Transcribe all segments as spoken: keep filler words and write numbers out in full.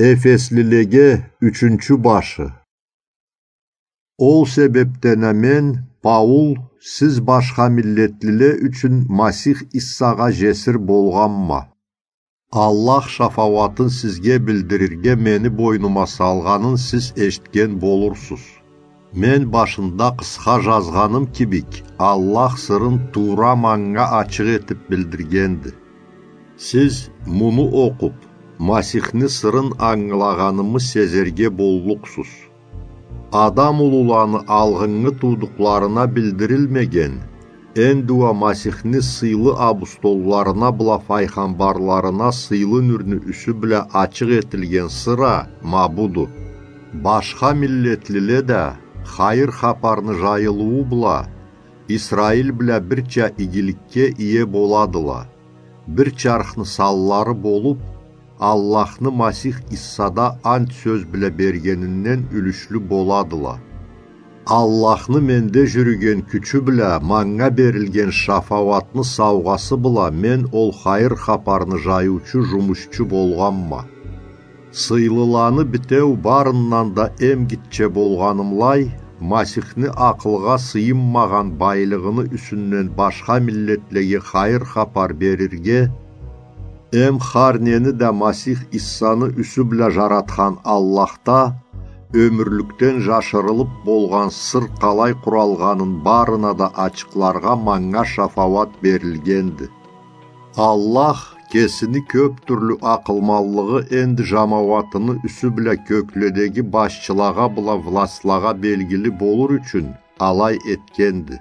Эфеслилеге ючюнчю башы. Ол себебден а мен, Паул, сиз башха миллетлиле ючюн Масих Иссагъа жесир болгъанма. Аллах шафауатын сизге билдирирге мени бойнума салгъанын сиз эшитген болурсуз. Мен башында къысха жазгъаным кибик, Аллах сырын туура манга ачыкъ этип билдиргенди. Сиз муну окъуп, Масихни сырын ангылагъанымы сезерге боллукъсуз. Адам улуланы алгъыннгы туудукъларына билдирилмеген, энди уа Масихни сыйлы абустолларына бла файгъамбарларына сыйлы нюрню юсю бла ачыкъ этилген сыр а ма буду. Башха миллетлиле да хайыр хапарны жайылыуу бла Исраил бла бирча игиликге ие боладыла. Бир чархны санлары болуп, Аллахны Масих Иссада ант сёз бла бергенинден юлюшлю боладыла. Аллахны менде жюрюген кючю бла манга берилген шафауатны саугъасы бла мен ол хайыр хапарны жайыучу жумушчу болгъанма. Сыйлыланы битеу барындан да эм гитче болгъанымлай, Масихни акъылгъа сыйынмагъан байлыгъыны юсюнден башха миллетлеге хайыр хапар берирге, эм хар нени да Масих Иссаны юсю бла жаратхан Аллахда ёмюрлюкден жашырылып болгъан сыр къалай къуралгъанын барына да ачыкъларгъа манга шафауат берилгенди. Аллах кесини кёп тюрлю акъылманлыгъы энди жамауатыны юсю бла кёкледеги башчылагъа бла властлагъа белгили болур ючюн алай этгенди.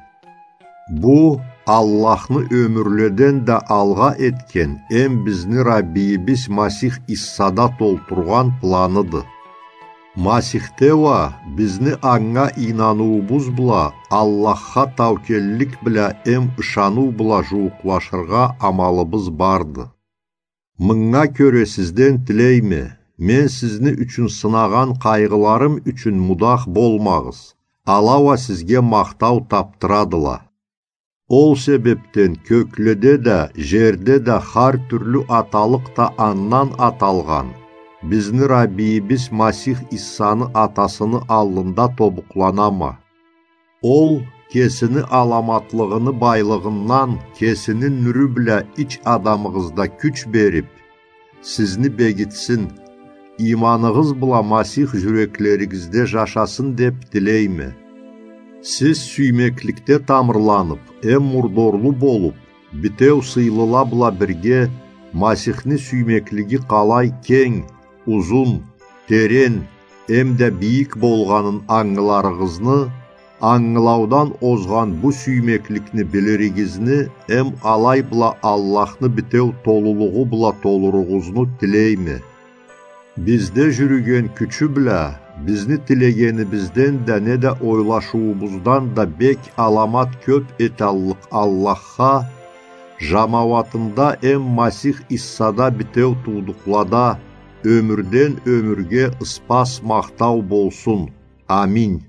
Бу Аллахны ёмюрледен да алгъа этген эм бизни Раббийибиз Масих Иссада толтургъан планыды. Масихде уа бизни анга ийнаныуубуз бла Аллахха таукеллик бла эм ышаныу бла жууукълашыргъа амалыбыз барды. Мынга кёре сизден тилейме, мен сизни ючюн сынагъан къайгъыларым ючюн мудах болмагъыз, ала уа сизге махтау тапдырадыла. Ол себебден кёкледе да, жерде да хар тюрлю аталыкъ да андан аталгъан, бизни Раббийибиз Масих Иссаны Атасыны аллында тобукъланама. Ол кесини аламатлыгъыны байлыгъындан кесини нюрю бла ич адамыгъызда кюч берип, сизни бегитсин, ийманыгъыз бла Масих жюреклеригизде жашасын деп тилейме. Сиз сюймекликде тамырланып, эм мурдорлу болуп, битеу сыйлыла бла бирге Масихни сюймеклиги къалай кенг, узун, терен, эм да бийик болгъанын ангыларыгъызны, ангылаудан озгъан бу сюймекликни билиригизни, эм алай бла Аллахны битеу толулугъу бла толуругъузну тилейме. Бизде жюрюген кючю бла, бизни тилегенибизден да неда ойлашыуубуздан да бек аламат кёп эталлыкъ Аллахха, жамауатында эм Масих Иссада битеу туудукълада, ёмюрден ёмюрге ыспас махтау болсун. Аминь.